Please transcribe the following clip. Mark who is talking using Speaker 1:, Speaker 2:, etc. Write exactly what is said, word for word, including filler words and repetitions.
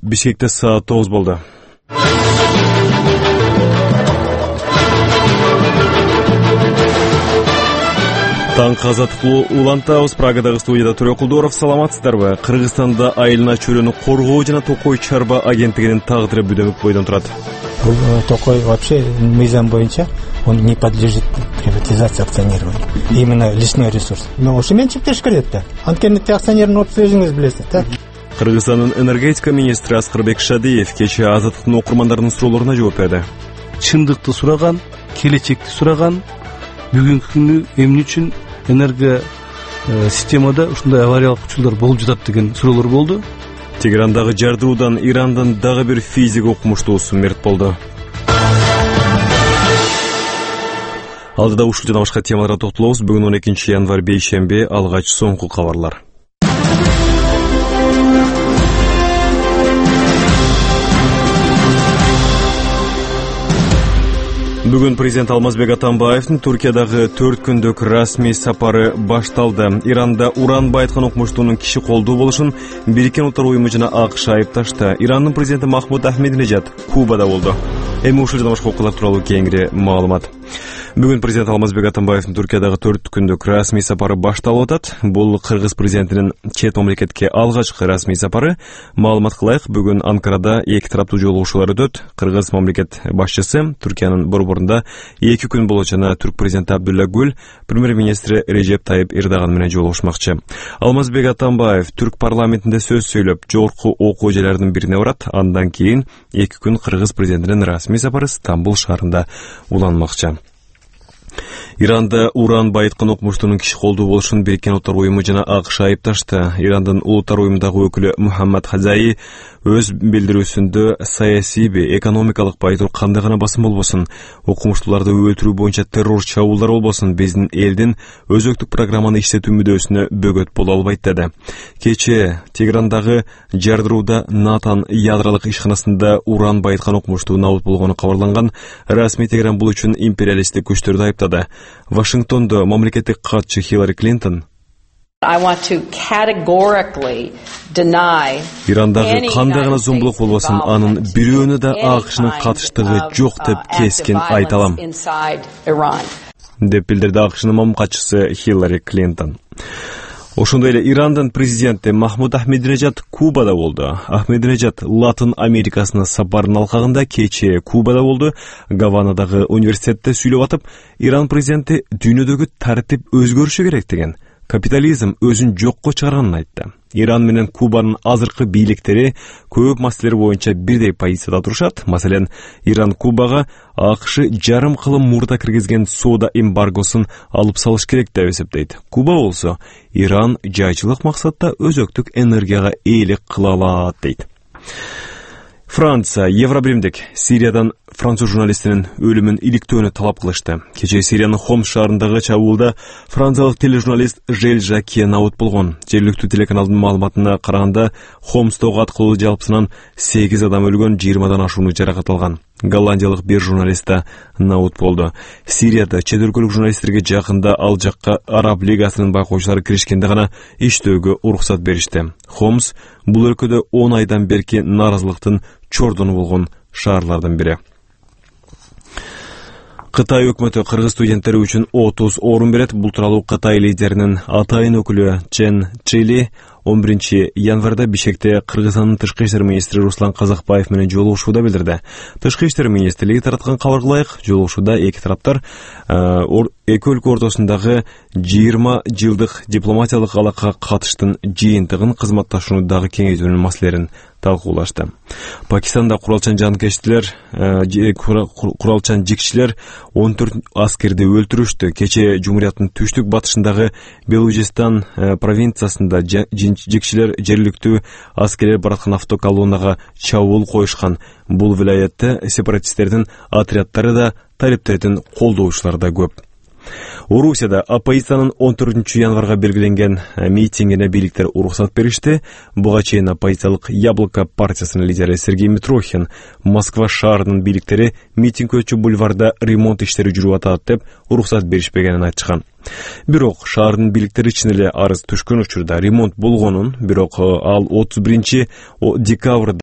Speaker 1: Бишкекте саат тогуз болду. Таң казаттуу улантабыз. Прагадагы студияда Төрө Кулдоров. Саламатсыздарбы? Кыргызстанда айылына чөйрөнү коргоо жана Токой чарба агенттигинин тагдыры бүдөмөк бойдон турат.
Speaker 2: Бул Токой вообще мыйзам боюнча он не подлежит приватизации, акционированию. Именно лесной ресурс. Но ошо менчиктеш керек да. Анткени акционердин отузу өзүңүз билесиз, да?
Speaker 1: Кыргызстандын энергетика министри Аскарбек Шадиев кечээ Азаттыктын окурмандарынын суроолоруна жооп берди.
Speaker 3: Чындыкты сураган, келечекти сураган, бүгүнкү күнү эмне үчүн энерго системада ушундай авариялык учурлар болуп жатат деген суроолор болду.
Speaker 1: Тегерандагы жардыруудан Ирандын дагы бир физик окумуштуусу мерт болду. Алдыда ушул жана башка темаларга токтолобуз. Бүгүн он экинчи январь бейшемби, алгач соңку кабарлар. Бүгүн президент Алмазбек Атамбаевдин Туркиядагы төрт күндүк расмий сапары башталды. Иранда уран байыткан окумуштуунун киши колдуу болушун Бириккен Улуттар уюму жана АКШ айыпташты. Ирандын президенти Махмуд Ахмединежад Кубада болду. Эми ушул жана башка окуялар тууралуу кеңири маалымат. Бүгүн президент Алмазбек Атамбаевдин Туркиядагы төрт күндүк расмий сапары башталып атат. Бул кыргыз президентинин чет мамлекетке алгачкы расмий сапары. Маалымат кылайык, бүгүн Анкарада эки тараптуу жолугушуулар өтөт. Кыргыз мамлекет башчысы Түркиянын борборунда эки күн болот жана түрк президенти Абдулла Гүл премьер-министри Режеп Тайып Эрдоган менен жолугушмакчы. Алмазбек Атамбаев түрк парламентинде сөз сүйлөп, жогорку окуу жайларынын бирине барат. Андан кийин эки күн кыргыз президентинин расмий сапары Стамбул шаарында уланмакчы. Иранда уран байыткан окумуштуунун киши колдуу болушун Бириккен Улуттар уюму жана АКШ айыпташты. Ирандын Улуттар уюмундагы өкүлү Мухаммад Хазаи өз билдирүүсүндө саясий, экономикалык байытуу кандай гана басым болбосун, окумуштууларды өлтүрүү боюнча террор чабуулдар болбосун, биздин элдин өзөктүк программаны иштетүү мүдөөсүнө бөгөт боло албайт деди. Кечээ Тегерандагы жардырууда Натан ядролук ишканасында уран байыткан окумуштуу набыт болгону кабарланган. Расмий Тегеран бул үчүн империалисттик күчтөрдү айыптады. Вашингтондо мамлекеттик катчы Хиллари Клинтон Ирандагы кандай гана зомбулук болбосун, анын бирөөнө да АКШнын катыштыгы жок деп кескин айта алам, деп билдирди АКШнын мамлекетчиси Хиллари Клинтон. Ошондой эле Ирандын президенти Махмуд Ахмединежад Кубада болду. Ахмединежад Латын Америкасына сапардын алкагында кечээ Кубада болду. Гаванадагы университетте сүйлөп атып, Иран президенти дүйнөдөгү тартип өзгөрүшү керек деген, капитализм өзүн жокко чыгарганын айтты. Иран менен Кубанын азыркы бийликтери көп маселелер боюнча бирдей позицияда турушат. Маселен, Иран Кубага АКШ жарым кылым мурда киргизген соода эмбаргосун алып салыш керек деп эсептейт. Куба болсо Иран жайчылык максатта өзөктүк энергияга ээлик кыла алат дейт. Франция Евробиримдик Сириядан француз журналистинин өлүмүн иликтөөнү талап кылышты. Кечээ Сириянын Хомс шаарындагы чабуулда франциялык тележурналист Жель Жаке набыт болгон. Жергиликтүү телеканалдын маалыматына караганда, Хомстогу аткылуу жалпысынан сегиз адам өлгөн, жыйырмадан ашууну жаракат алган. Голландиялык бир журналист да набыт болду. Сирияда чет өлкөлүк журналисттерге жакында ал жакка Араб лигасынын байкоочулары киришкенде гана иштөөгө уруксат беришти. Хомс бул өлкөдө он айдан берки нааразылыктын чордону болгон шаарлардын бири. Кытай өкмөтү кыргыз студенттери үчүн отуз орун берет. Бул тууралуу Кытай лидеринин атайын өкүлү Чен Чили он биринчи январда Бишкекте Кыргызстандын тышкы иштер министри Руслан Казакбаев менен жолугушууда билдирди. Тышкы иштер министрлиги тараткан кабар кылайык, жолугушууда эки тараптар эки өлкө ортосундагы жыйырма жылдык дипломатиялык алакага катыштын жыйынтыгын, кызматташууну дагы кеңейтүүнүн маселелерин талкуулашты. Пакистанда куралчан жанкечтилер, куралчан жикчилер он төрт аскерди өлтүрүштү. Кечээ Жумурияттын түштүк батышындагы Белужистан провинциясында жикчилер жергиликтүү аскерлер бараткан автоколоннага чабуул коюшкан. Бул вилаятта сепаратисттердин отряддары да, талиптердин колдоочулары да көп. Орусияда оппозициянын он төртүнчү январга белгиленген митингине бийликтер уруксат беришти. Буга чейин оппозициялык Яблоко партиясынын лидери Сергей Митрохин Москва шаарынын бийликтери митинг өтчү бульварда ремонт иштери жүрүп атат деп уруксат беришпегенин айтышкан. Бирок шаардын бийликтери чын эле арыз түшкөн учурда ремонт болгонун, бирок ал отуз биринчи декабрда